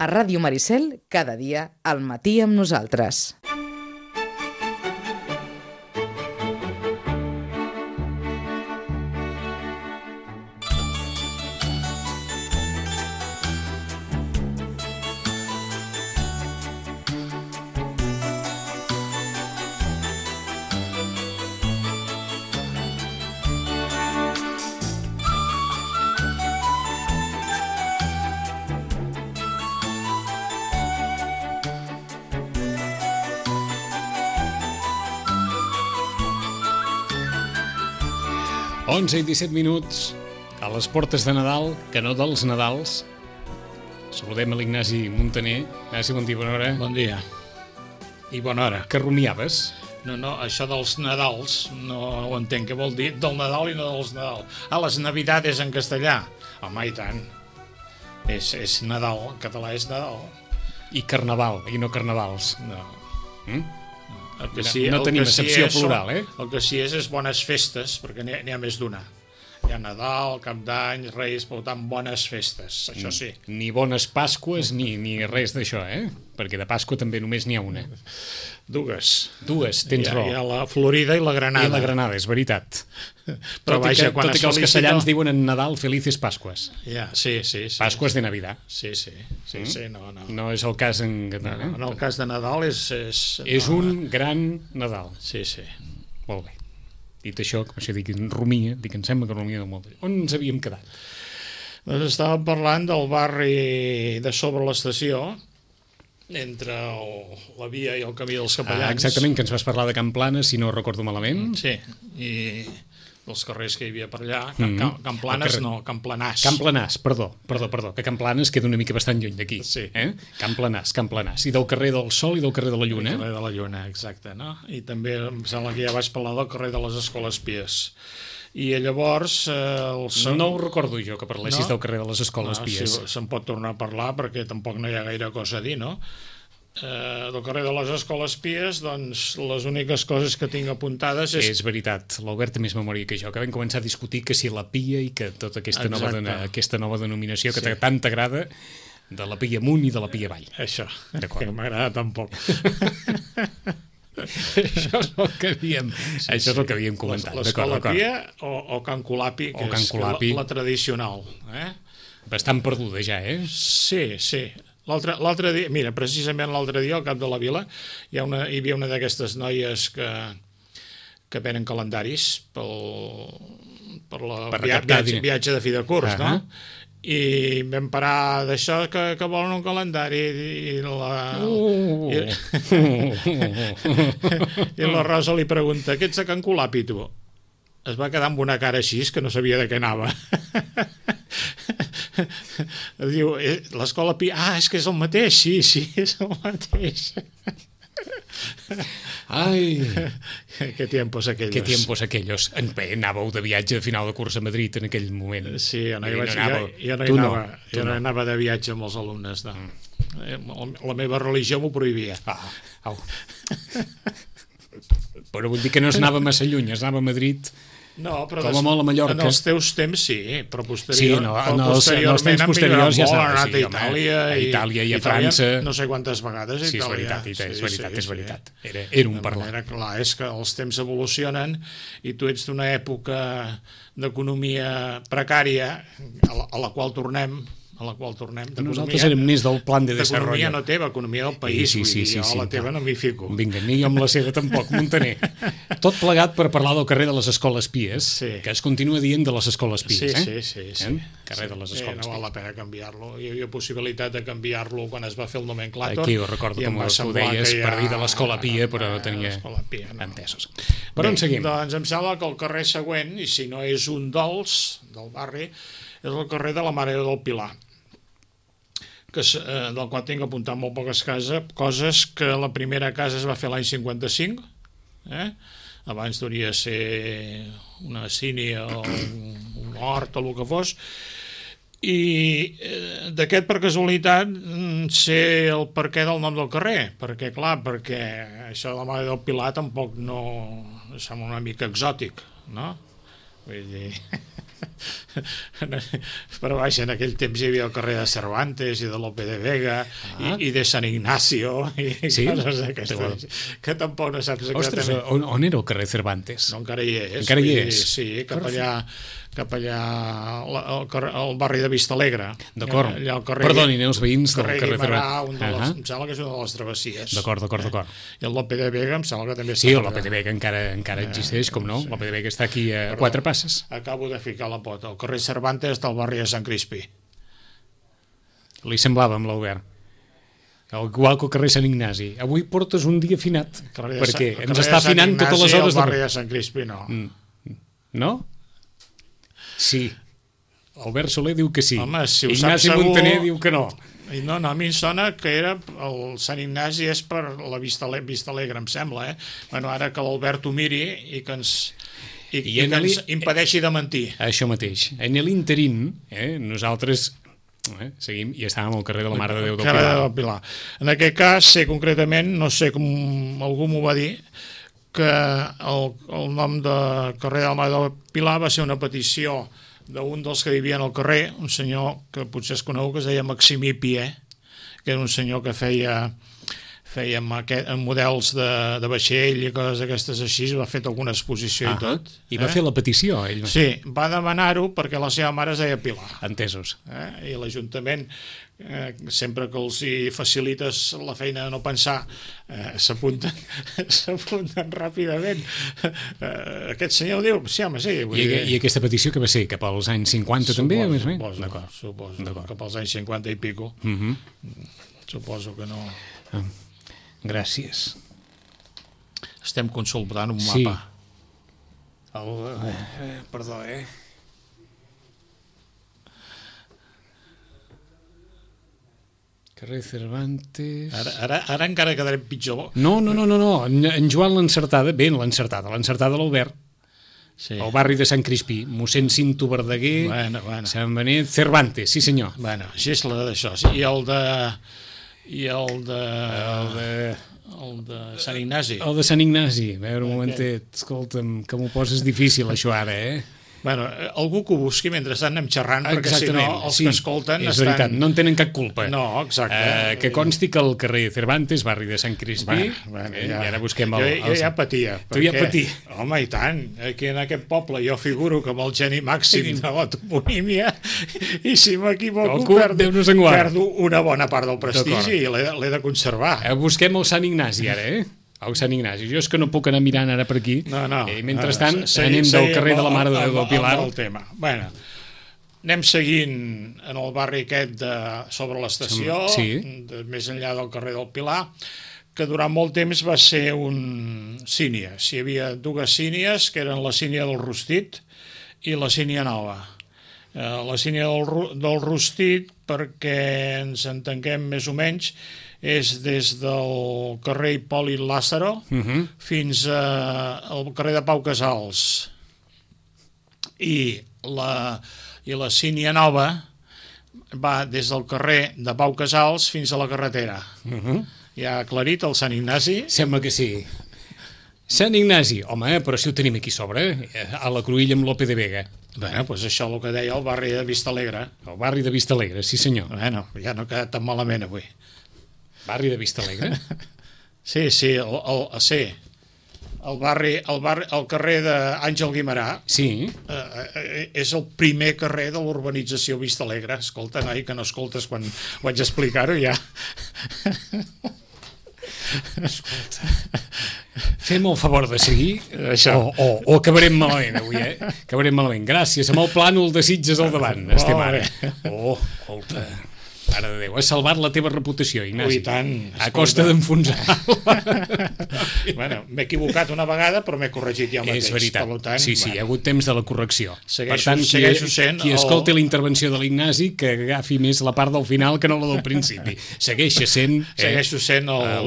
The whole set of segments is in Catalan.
A Ràdio Maricel, cada dia, al matí amb nosaltres. Onze i 17 minuts a les portes de Nadal, que no dels Nadals. Saludem a l'Ignasi Montaner. Ignasi, bon dia, bona hora. Bon dia. I bona hora. Que rumiaves? No, això dels Nadals no ho entenc. Què vol dir? Del Nadal i no dels Nadal. Les Navidades en castellà. Home, i tant. És Nadal. En català és Nadal. I Carnaval, i no Carnavals. No. El que sí, no tenim excepció plural, eh? El que sí és bones festes, perquè n'hi ha més d'una. Hi ha Nadal, Cap d'Any, Reis, per tant, bones festes, això sí. Ni bones Pasques ni res d'això, eh? Perquè de Pasqua també només n'hi ha una. Dues, tens raó. Hi ha la Florida i la Granada. I la Granada, és veritat. Però vaja, quan tot i que els castellans diuen en Nadal Felices Pasques. Ja, sí. Pasques de Navidad. Sí, no. No és el cas en català, eh? En el cas de Nadal és un gran Nadal. Sí. Molt bé. Dit això, com això dic, rumia, em sembla que rumia molt bé. On ens havíem quedat? Doncs estàvem parlant del barri de sobre l'estació, entre la via i el camí dels Capellans. Exactament, que ens vas parlar de Can Planes, si no recordo malament. Sí, i dels carrers que hi havia per allà. Can Planes no, Can Planàs. Can Planàs, perdó, que Can Planes queda una mica bastant lluny d'aquí. Sí. Can Planàs. I del carrer del Sol i del carrer de la Lluna. El carrer de la Lluna, exacte, no? I també em sembla que ja vaig parlar del carrer de les Escoles Pies. I llavors... No ho recordo jo, que parlessis del carrer de les Escoles Pies. Sí, se'n pot tornar a parlar perquè tampoc no hi ha gaire cosa a dir, no? Del carrer de les Escoles Pies, doncs les úniques coses que tinc apuntades és veritat, l'Albert té més memòria que jo, que vam començar a discutir que si la Pia i que tota aquesta nova denominació que tant t'agrada, de la Pia amunt i de la Pia avall. Això, que m'agrada tan poc. Això és el que havíem comentat. L'Escola Pia o Can Colapi, que és la tradicional. Bastant perduda ja, eh? Sí. L'altre dia, mira, precisament l'altre dia al Cap de la Vila hi havia una d'aquestes noies que venen calendaris per viatge de fi de curs, no? I vam parar d'això que volen un calendari i la Rosa li pregunta: què ets a Can Colapi, tu? Es va quedar amb una cara així que no sabia de què anava. Diu, l'Escola Pia... és que és el mateix, sí, és el mateix. Ai, qué tiempos aquellos. Anàveu de viatge de final de curs a Madrid en aquell moment. Sí, jo no anava de viatge amb els alumnes, no. La meva religió m'ho prohibia. Però vull dir que no es anava massa lluny, es anava a Madrid... No, però com a molt a Mallorca. En els teus temps sí, però en els temps posteriors ja s'anava a Itàlia i a França. No sé quantes vegades a Itàlia. És veritat. Era un parlar. Era clar, és que els temps evolucionen i tu ets d'una època d'economia precària a la qual tornem. Nosaltres érem més del plan de desarrollo. D'economia no teva, economia del país. Jo la teva no m'hi fico. Vinga, ni jo amb la seva tampoc, Montaner. Tot plegat per parlar del carrer de les Escoles Pies, que es continua dient de les Escoles Pies. Sí. Carrer de les Escoles Pies. No val la pena canviar-lo. Hi havia possibilitat de canviar-lo quan es va fer el nomenclàtor. Aquí ho recordo com tu deies, per dir de l'Escola Pia, però no tenia entesos. Per on seguim? Doncs em sembla que el carrer següent, i si no és un del barri, és el carrer de la Mare del Pilar, del qual tinc apuntat molt poques coses, que la primera casa es va fer l'any 55, abans hauria de ser una sínia o un hort o el que fos, i d'aquest, per casualitat, sé el perquè del nom del carrer, perquè això de la Mare del Pilar tampoc no sembla una mica exòtic, no? Vull dir... Però vaja, en aquell temps hi havia el carrer de Cervantes i de Lope de Vega i de Sant Ignacio i coses d'aquestes, que tampoc no saps exactament. Ostres, on era el carrer Cervantes? No, encara hi és. Encara hi és? Sí, cap allà al barri de Vistalegre. D'acord. Perdonin els veïns del carrer Cervantes. Em sembla que és una de les travessies. D'acord. I el Lope de Vega em sembla que també sí, el Lope de Vega encara existeix, com no? El Lope de Vega està aquí a 4 passes. Acabo de ficar la pota. El carrer Cervantes del barri de Sant Crispí. Li semblava amb l'Albert. Igual que el carrer Sant Ignasi. Avui portes un dia afinat, perquè ens està afinant totes les hores. El barri de Sant Crispí no. No? Sí. Albert Soler diu que sí. Home, si ho Ignasi saps Montaner segur... diu que no. No, a mi em sona que era el Sant Ignasi és per la Vista Alegre, em sembla, Bueno, ara que l'Albert ho miri i que ens impedeixi de mentir. Això mateix. En l'interín, nosaltres seguim i estàvem al carrer de la Mare de Déu del Pilar. En aquest cas, sé concretament, no sé com algú m'ho va dir, que el nom de carrer de la Mare de Déu del Pilar va ser una petició d'un dels que vivien al carrer, un senyor que potser es conegut, que es deia Maximí Pié, que era un senyor que feia models de vaixell i coses d'aquestes així, va fer alguna exposició i tot. I va fer la petició, ell? Sí, va demanar-ho perquè la seva mare es deia Pilar. Entesos. I l'Ajuntament, sempre que els hi facilites la feina de no pensar, s'apunten ràpidament. Aquest senyor diu, sí, home, sí. I aquesta petició que va ser? Cap als anys 50 també? Suposo, cap als anys 50 i pico. Suposo que no... Gràcies. Estem consultant un mapa. Perdó, Carrer Cervantes... Ara encara quedarem pitjor. No. En Joan l'encertada, l'encertada l'Albert. Sí. El barri de Sant Crispí, mossèn Cinto Verdaguer, Sant Benet, Cervantes, sí senyor. Bueno, així és la d'això. I el de Sant Ignasi. El de Sant Ignasi. A veure, un momentet, escolta'm, que m'ho poses difícil això ara, Bueno, algú que ho busqui mentre anem xerrant, perquè si no els que escolten és veritat, no en tenen cap culpa. No, exacte. Que consti que el carrer Cervantes, barri de Sant Crispí, i ara busquem el... Jo ja patia. Tu ja patia. Home, i tant. Aquí en aquest poble jo figuro que amb el geni màxim de la toponímia, i si m'equivoco perdo una bona part del prestigi i l'he de conservar. Busquem el Sant Ignasi ara, el Sant Ignasi. Jo és que no puc anar mirant ara per aquí. Mentrestant, anem del carrer de la Mare de Déu del Pilar. Bueno, anem seguint en el barri aquest sobre l'estació, més enllà del carrer del Pilar, que durant molt temps va ser un sínies. Hi havia dues sínies, que eren la sínia del Rostit i la sínia nova. La sínia del Rostit, perquè ens entenguem més o menys, és des del carrer Hipòlit Lázaro fins al carrer de Pau Casals. I la sínia nova va des del carrer de Pau Casals fins a la carretera. Ja ha aclarit el Sant Ignasi? Sembla que sí. Sant Ignasi, home, però si ho tenim aquí sobre, a la cruïlla amb Lope de Vega. Bueno, doncs això el que deia el barri de Vistalegre. El barri de Vistalegre, sí senyor. Bueno, ja no ha quedat tan malament avui. Barri de Vistalegre? Sí, el carrer d'Àngel Guimerà és el primer carrer de l'urbanització Vistalegre. Escolta, noi, que no escoltes quan vaig explicar-ho ja. Escolta, fem el favor de seguir o acabarem malament avui, acabarem malament. Gràcies, amb el plànol de Sitges al davant estem ara. Escolta, mare de Déu, has salvat la teva reputació, Ignasi. Ui, tant. A costa d'enfonsar-la. Bueno, m'he equivocat una vegada, però m'he corregit ja mateix. És veritat. Tant, sí, hi ha hagut temps de la correcció. Segueixo sent qui escolti la intervenció de l'Ignasi, que agafi més la part del final que no la del principi. Segueixo sent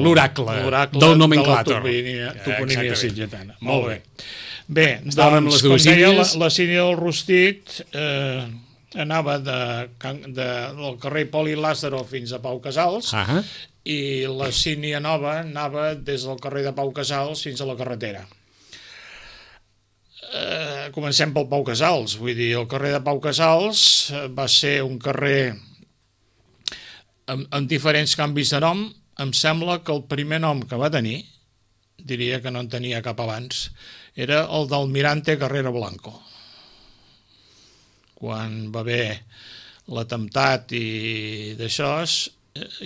l'oracle del nomenclàtor. De la toponímia sitgetana. Molt bé. Bé, doncs, com deia, la sínia del Rostit anava del carrer Hipòlit Lázaro fins a Pau Casals i la sínia nova anava des del carrer de Pau Casals fins a la carretera. comencem pel Pau Casals. Vull dir, el carrer de Pau Casals va ser un carrer amb diferents canvis de nom. Em sembla que el primer nom que va tenir, diria que no en tenia cap abans, era el d'Almirante Carrero Blanco. Quan va haver l'atemptat i d'això,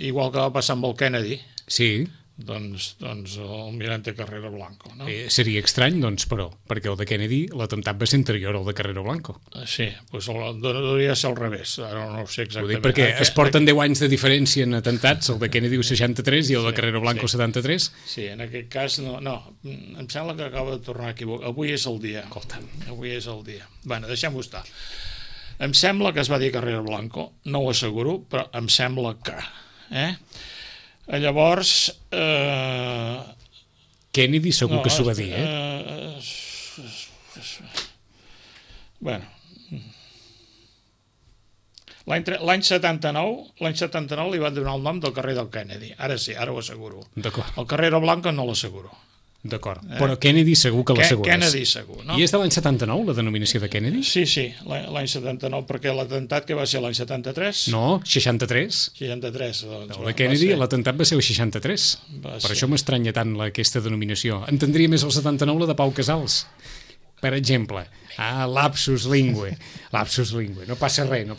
igual que va passar amb el Kennedy, Sí. doncs Almirante Carrero Blanco, no? Seria estrany, doncs, però, perquè el de Kennedy, l'atemptat va ser anterior al de Carrero Blanco. Sí, doncs hauria de ser al revés, ara no ho sé Ho exactament. dic perquè es porten 10 anys de diferència en atemptats, el de Kennedy el 63 i el de Carrero Blanco el 73. Sí, en aquest cas no, em sembla que acaba de tornar a equivocar. Avui és el dia. Avui és el dia. Bueno, deixem-ho estar. Em sembla que es va dir Carrero Blanco, no ho asseguro, però em sembla que... Llavors... Kennedy segur que s'ho va dir, Bueno... L'any 79 li van donar el nom del carrer del Kennedy. Ara sí, ara ho asseguro. D'acord. El Carrero Blanco no l'asseguro. D'acord, però Kennedy segur que l'assegures. Kennedy segur, no? I és de l'any 79, la denominació de Kennedy? Sí, l'any 79, perquè l'atemptat que va ser l'any 73? No, 63. 63, doncs. El de Kennedy, l'atemptat va ser el 63. Per això m'estranya tant aquesta denominació. Entendria més el 79 la de Pau Casals. Per exemple, lapsus lingue. Lapsus lingue. No passa res.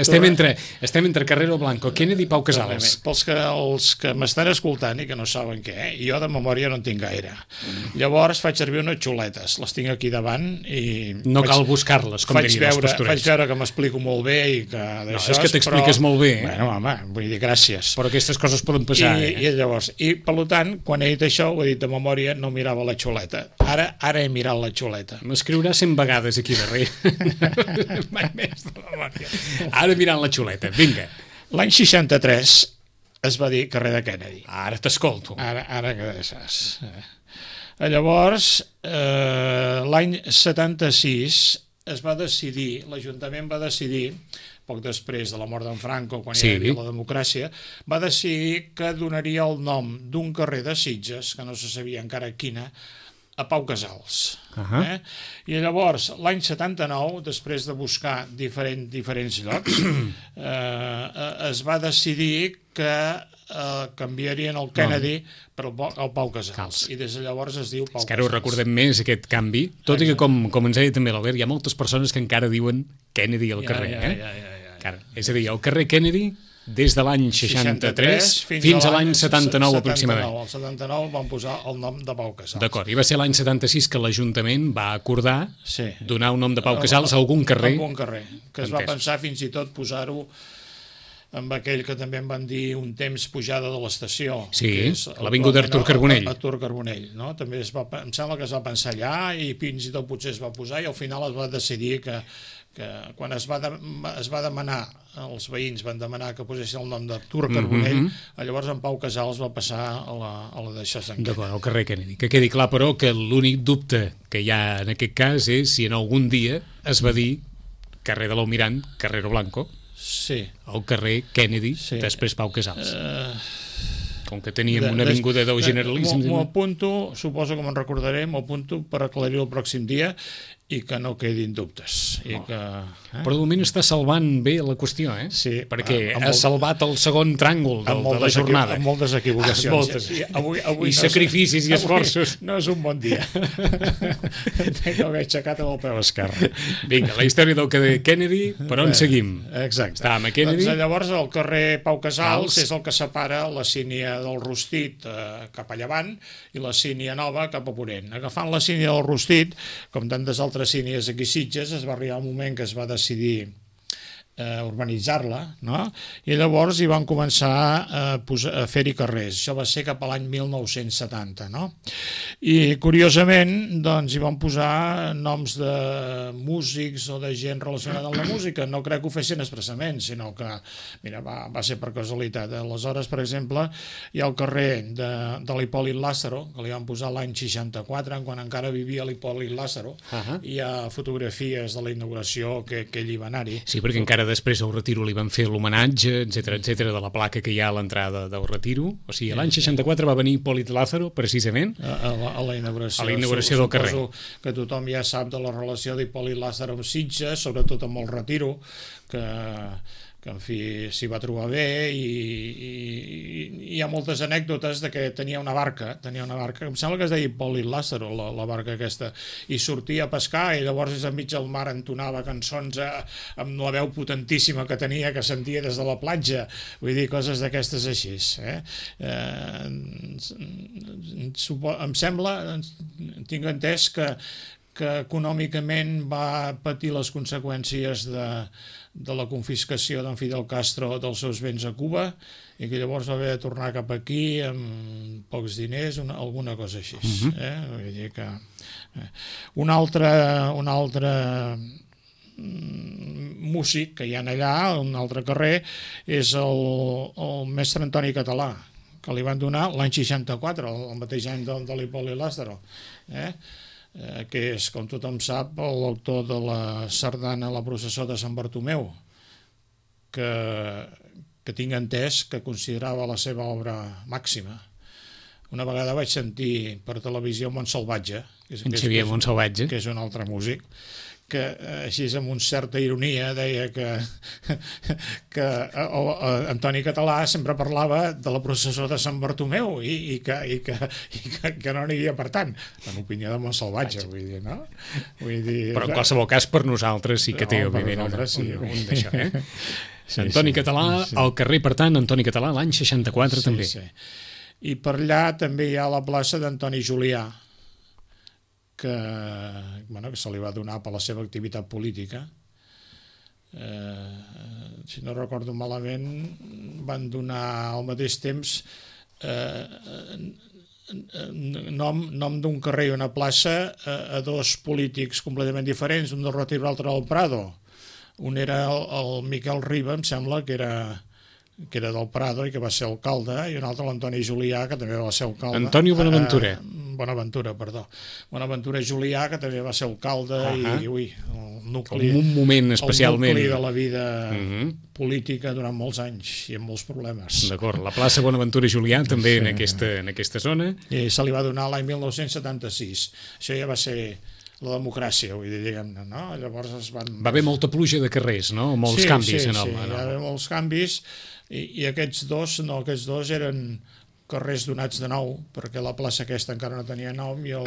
Estem entre Carrero Blanco, Kennedy i Pau Casals. Pels que m'estan escoltant i que no saben què, jo de memòria no en tinc gaire. Llavors faig servir unes xuletes, les tinc aquí davant i... No cal buscar-les, com dirien els pastorets. Faig veure que m'explico molt bé i que... No, és que t'expliques molt bé. Bueno, home, vull dir, gràcies. Però aquestes coses poden passar, I llavors, per tant, quan he dit això, ho he dit de memòria, no mirava la xuleta. Ara he mirat la xuleta. M'escriurà 100 vegades aquí darrere. Mai més de memòria. Ara mirant la xuleta, vinga. L'any 63 es va dir carrer de Kennedy. Ara t'escolto. Ara que saps. Llavors, l'any 76 es va decidir, l'Ajuntament va decidir, poc després de la mort d'en Franco, quan hi havia la democràcia, va decidir que donaria el nom d'un carrer de Sitges, que no se sabia encara quina, a Pau Casals. I llavors, l'any 79, després de buscar diferents llocs, es va decidir que canviarien el Kennedy per el Pau Casals. I des de llavors es diu Pau Casals. És que ara ho recordem més, aquest canvi, tot i que, com ens deia també l'Albert, hi ha moltes persones que encara diuen Kennedy al carrer. És a dir, el carrer Kennedy des de l'any 63 fins a l'any 79 aproximadament. El 79 van posar el nom de Pau Casals. D'acord, i va ser l'any 76 que l'Ajuntament va acordar donar un nom de Pau Casals a algun carrer. A algun carrer, que es va pensar fins i tot posar-ho amb aquell que també en van dir un temps pujada de l'estació. Sí, l'avinguda Artur Carbonell. Artur Carbonell, no? També em sembla que es va pensar allà i fins i tot potser es va posar i al final es va decidir que quan es va demanar, els veïns van demanar que posessin el nom d'Artur Carbonell, llavors en Pau Casals va passar a la d'això. D'acord, al carrer Kennedy. Que quedi clar, però, que l'únic dubte que hi ha en aquest cas és si en algun dia es va dir carrer de l'Almirant, Carrero Blanco, el carrer Kennedy, després Pau Casals. Com que teníem una avinguda del generalisme. M'ho apunto, suposo que me'n recordaré, m'ho apunto per aclarir el pròxim dia i que no quedin dubtes. Però de moment està salvant bé la qüestió, Sí. Perquè ha salvat el segon tràngol de la jornada. Amb moltes equivocacions. I sacrificis i esforços. No és un bon dia. Tenc haver aixecat amb el peu esquerre. Vinga, la història del carrer Kennedy, per on seguim? Exacte. Estàvem a Kennedy. Llavors el carrer Pau Casals és el que separa la sínia del Rostit cap a llevant i la sínia nova cap a ponent. Agafant la sínia del Rostit, com tantes altres sínies aquí a Sitges, es va arribar un moment que es va decidir urbanitzar-la, no? I llavors hi van començar a fer-hi carrers. Això va ser cap a l'any 1970, no? I curiosament, doncs, hi van posar noms de músics o de gent relacionada amb la música. No crec que ho fessin expressament, sinó que, mira, va ser per casualitat. Aleshores, per exemple, hi ha el carrer de l'Hipòlit Lázaro, que li van posar l'any 64, quan encara vivia l'Hipòlit Lázaro. Hi ha fotografies de la inauguració que ell hi va anar-hi. Sí, perquè encara ara després al Retiro li van fer l'homenatge, etc de la placa que hi ha a l'entrada del Retiro. O sigui, l'any 64 va venir Hipólito Lázaro, precisament, a la inauguració. A la inauguració del carrer. Suposo que tothom ja sap de la relació d'Hipólito Lázaro amb Sitges, sobretot amb el Retiro, que en fi s'hi va trobar bé, i hi ha moltes anècdotes de que tenia una barca, em sembla que es deia Hipólito Lázaro, la barca aquesta, i sortia a pescar i llavors enmig del mar entonava cançons amb la veu potentíssima que tenia, que sentia des de la platja, vull dir, coses d'aquestes així. Em sembla, tinc entès que econòmicament va patir les conseqüències de la confiscació d'en Fidel Castro dels seus béns a Cuba i que llavors va haver de tornar cap aquí amb pocs diners, alguna cosa així. Vull dir que un altre músic que hi ha allà, un altre carrer, és el mestre Antoni Català, que li van donar l'any 64, el mateix any de l'Hipólito Lázaro, que és, com tothom sap, l'autor de la sardana La processó de Sant Bartomeu, que tinc entès que considerava la seva obra màxima. Una vegada vaig sentir per televisió Montsalvatge, que és un altre músic, que així amb una certa ironia deia que Antoni Català sempre parlava de la processó de Sant Bartomeu i que no n'hi havia per tant, en opinió de Montsalvatge, vull dir, no? Però en qualsevol cas per nosaltres sí que té, òbviament, un d'això, Antoni Català, al carrer, per tant, Antoni Català, l'any 64 també. I per allà també hi ha la plaça d'Antoni Julià, que se li va donar per la seva activitat política. Si no recordo malament, van donar al mateix temps nom d'un carrer i una plaça a dos polítics completament diferents, un del Retiro i l'altre del Prado. Un era el Miquel Riba, em sembla, que era del Prado i que va ser alcalde, i un altre l'Antoni Julià, que també va ser alcalde. Antonio Bonaventura. Bonaventura Julià, que també va ser alcalde, i el nucli... Un moment especialment... El nucli de la vida política durant molts anys i amb molts problemes. D'acord, la plaça Bonaventura Julià també en aquesta zona. I se li va donar l'any 1976. Això ja va ser la democràcia, vull dir, diguem-ne, no? Llavors es van... Va haver molta pluja de carrers, no? Molts canvis en el... Sí, hi va haver molts canvis, i aquests dos eren carrers donats de nou, perquè la plaça aquesta encara no tenia nom, i el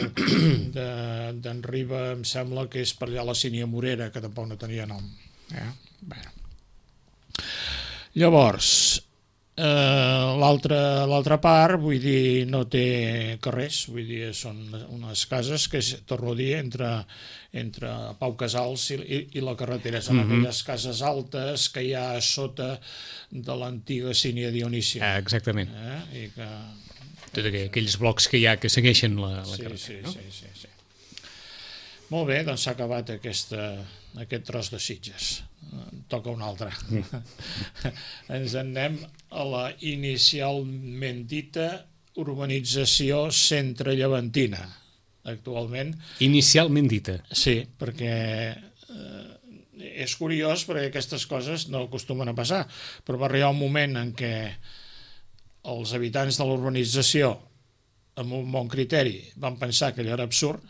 d'en Riba em sembla que és per allà la Sínia Morera, que tampoc no tenia nom. Llavors, l'altra part, vull dir, no té carrers, vull dir, són unes cases que, torno a dir, entre Pau Casals i la carretera, són aquelles cases altes que hi ha a sota de l'antiga Sínia Dionísia. Exactament. Tots aquells blocs que hi ha que segueixen la carretera. Sí. Molt bé, doncs s'ha acabat aquest tros de Sitges. Toca un altre. Ens en anem a la inicialment dita urbanització centre-llevantina, actualment. Inicialment dita. Sí, perquè és curiós, perquè aquestes coses no acostumen a passar, però va arribar un moment en què els habitants de l'urbanització, amb un bon criteri, van pensar que allò era absurd.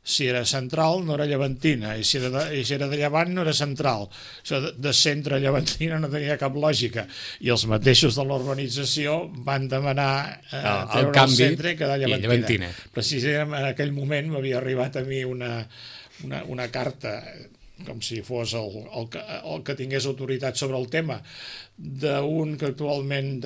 Si era central no era llevantina, i si era de llevant no era central. Això de centre a llevantina no tenia cap lògica, i els mateixos de l'urbanització van demanar treure el centre i quedar llevantina. Precisament en aquell moment m'havia arribat a mi una carta, com si fos el que tingués autoritat sobre el tema, d'un que actualment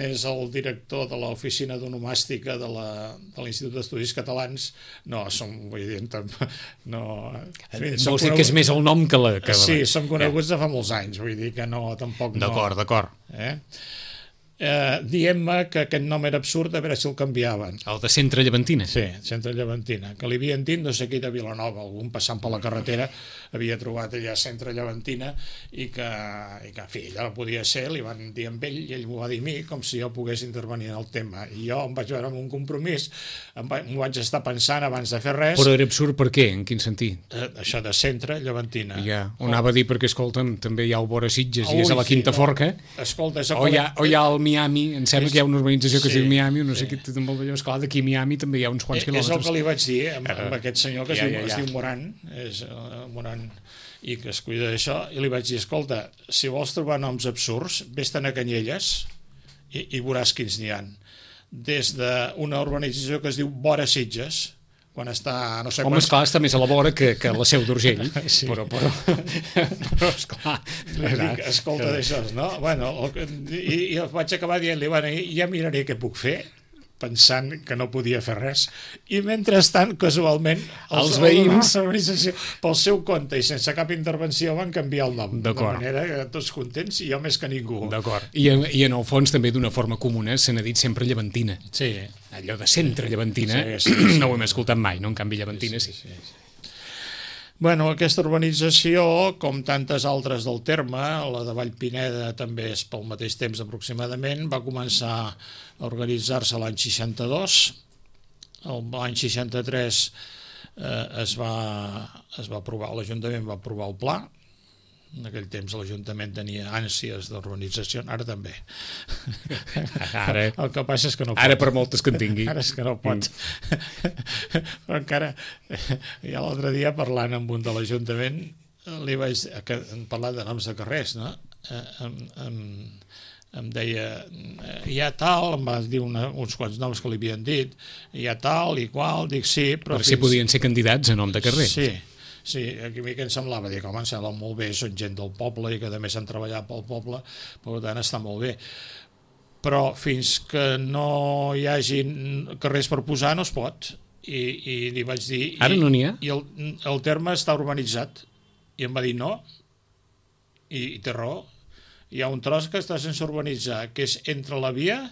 és el director de l'oficina d'onomàstica de l'Institut d'Estudis Catalans. Vull dir, no... Vols dir que és més el nom que la... Sí, som coneguts de fa molts anys, vull dir que no, tampoc no... D'acord. dient-me que aquest nom era absurd, a veure si el canviaven. El de Centre Llevantina. Sí, Centre Llevantina, que li havien dit no sé qui de Vilanova, algun passant per la carretera havia trobat allà Centre Llevantina i que en fi, ella no podia ser, li van dir amb ell i ell m'ho va dir a mi com si jo pogués intervenir en el tema, i jo em vaig veure amb un compromís, m'ho vaig estar pensant abans de fer res. Però era absurd per què? En quin sentit? Això de Centre Llevantina. Ja, ho anava a dir perquè, escolta'm, també hi ha el Vora Sitges i és a la Quinta Forca, escolta, o hi ha el Miami, em sembla que hi ha una urbanització que es diu Miami, no sé què, també el d'allò, esclar, d'aquí a Miami també hi ha uns quants quilòmetres. És el que li vaig dir amb aquest senyor que es diu Moran, és Moran, i que es cuida d'això, i li vaig dir, escolta, si vols trobar noms absurds, vés-te'n a Canyelles i veuràs quins n'hi ha. Des d'una urbanització que es diu Vora Sitges, quan està... No sé home, esclar, està més a la vora que la Seu d'Urgell, sí. però esclar... Escolta d'això, no? Bueno, i vaig acabar dient-li, bueno, ja miraré què puc fer, pensant que no podia fer res, i mentrestant, casualment, els veïns, pel seu compte i sense cap intervenció, van canviar el nom, de manera que tots contents i jo més que ningú. D'acord. I en el fons també d'una forma comuna se n'ha dit sempre Llevantina. Sí. Allò de Centre Llevantina, sí. No ho hem escoltat mai, no? En canvi Llevantina sí. Bueno, aquesta urbanització, com tantes altres del terme, la de Vallpineda també és pel mateix temps aproximadament, va començar a organitzar-se l'any 62, l'any 63 es va aprovar, l'Ajuntament va aprovar el pla. En aquell temps l'Ajuntament tenia ànsies d'urbanització, ara també. Ara, el que passa és que no pot. Ara per moltes que en tingui. Ara és que no pot. Però encara, ja l'altre dia parlant amb un de l'Ajuntament, li vaig parlar de noms de carrers, no? Em deia, hi ha tal, em va dir uns quants noms que li havien dit, hi ha tal i qual, dic sí, però... Per si podien ser candidats a nom de carrer. Sí, a mi que em semblava, dic, home, em sembla molt bé, són gent del poble i que a més han treballat pel poble, per tant està molt bé. Però fins que no hi hagi carrers per posar no es pot. I li vaig dir... Ara no n'hi ha? I el terme està urbanitzat. I em va dir no, i té raó. Hi ha un tros que està sense urbanitzar, que és entre la via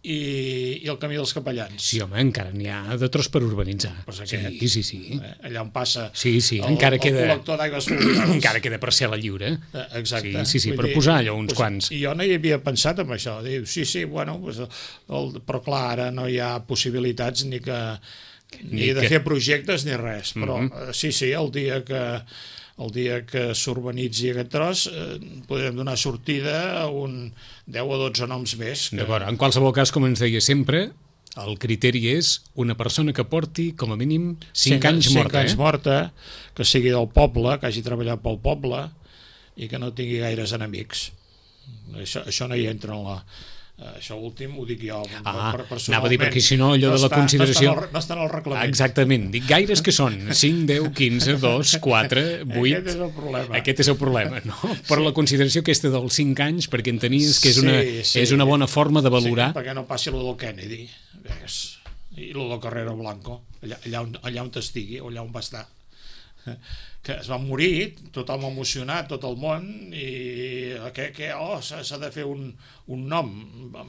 i el camí dels Capellans. Sí, home, encara n'hi ha de tros per urbanitzar. Pues sí. Allà on passa encara queda... el col·lector d'aigües fluvials. Encara queda parcel·la lliure. Exacte. Sí, per posar allò uns quants. I jo no hi havia pensat en això. Diu, sí, bueno, però clar, ara no hi ha possibilitats ni de fer projectes ni res. Però sí, el dia que s'urbanitzi aquest tros podrem donar sortida a un 10 o 12 noms més. D'acord, en qualsevol cas, com ens deia sempre, el criteri és una persona que porti com a mínim 5 anys morta. 5 anys morta, que sigui del poble, que hagi treballat pel poble i que no tingui gaires enemics. Això no hi entra en la... Això últim ho dic jo personalment. Anava a dir, perquè si no allò de la consideració... No està en el reglament. Exactament, dic gaires que són 5, 10, 15, 2, 4, 8... Aquest és el problema. Aquest és el problema, no? Però la consideració aquesta dels 5 anys, perquè entenies que és una bona forma de valorar... Sí, perquè no passi lo del Kennedy, i lo del Carrero Blanco, allà on estigui, o allà on va estar. Que es va morir, tothom emocionat, tot el món, i s'ha de fer un nom.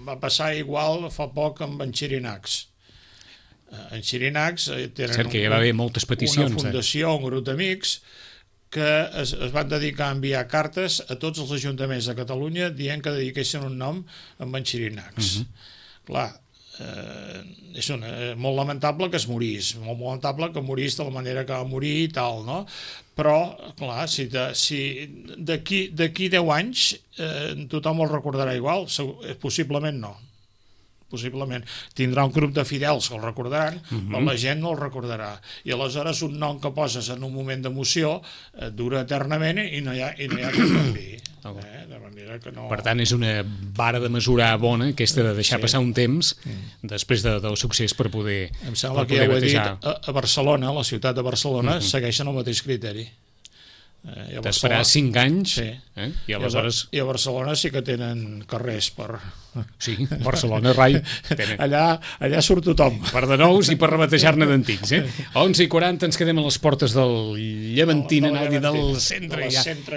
Va passar igual fa poc amb en Xirinacs. En Xirinacs tenen hi va haver moltes peticions, una fundació, un grup d'amics, que es van dedicar a enviar cartes a tots els ajuntaments de Catalunya dient que dediquessin un nom amb en Xirinacs. Clar, és molt lamentable que es morís, molt lamentable que morís de la manera que va morir i tal, no? Però, clar, si d'aquí 10 anys tothom el recordarà igual, possiblement no. Possiblement. Tindrà un grup de fidels que el recordaran, però la gent no el recordarà. I aleshores un nom que poses en un moment d'emoció dura eternament i no hi ha que canvi. De manera que no... Per tant, és una vara de mesurar bona, aquesta de deixar passar un temps després del succés per poder Em sembla que ja ho he dit, a Barcelona, a la ciutat de Barcelona, segueixen el mateix criteri. D'esperar 5 anys i aleshores... I a Barcelona sí que tenen carrers per Sí, Barcelona, rai. Allà surt tothom. Per de nous i per rebatejar-ne d'antics. 11:40 ens quedem a les portes del Llevantina, anau dir, del centre.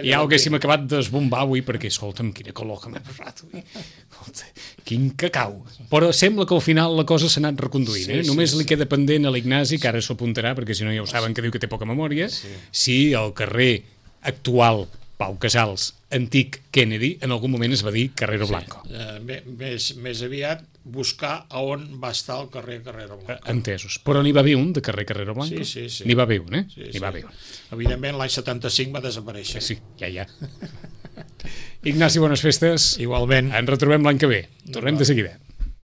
Ja ho haguéssim acabat d'esbombar avui, perquè, escolta'm, quina calor que m'he posat avui. Escolta, quin cacau. Però sembla que al final la cosa s'ha anat reconduint. Només li queda pendent a l'Ignasi, que ara s'ho apuntarà, perquè si no ja ho saben que diu que té poca memòria, si el carrer actual Pau Casals, antic Kennedy, en algun moment es va dir Carrero Blanco. Més aviat buscar a on va estar el carrer Carrero Blanco. Entesos. Però n'hi va haver un de carrer Carrero Blanco? Sí. N'hi va haver un, N'hi va haver un. Evidentment, l'any 75 va desaparèixer. Sí, ja. Ignasi, bones festes. Igualment. Ens retrobem l'any que ve. Tornem de seguida.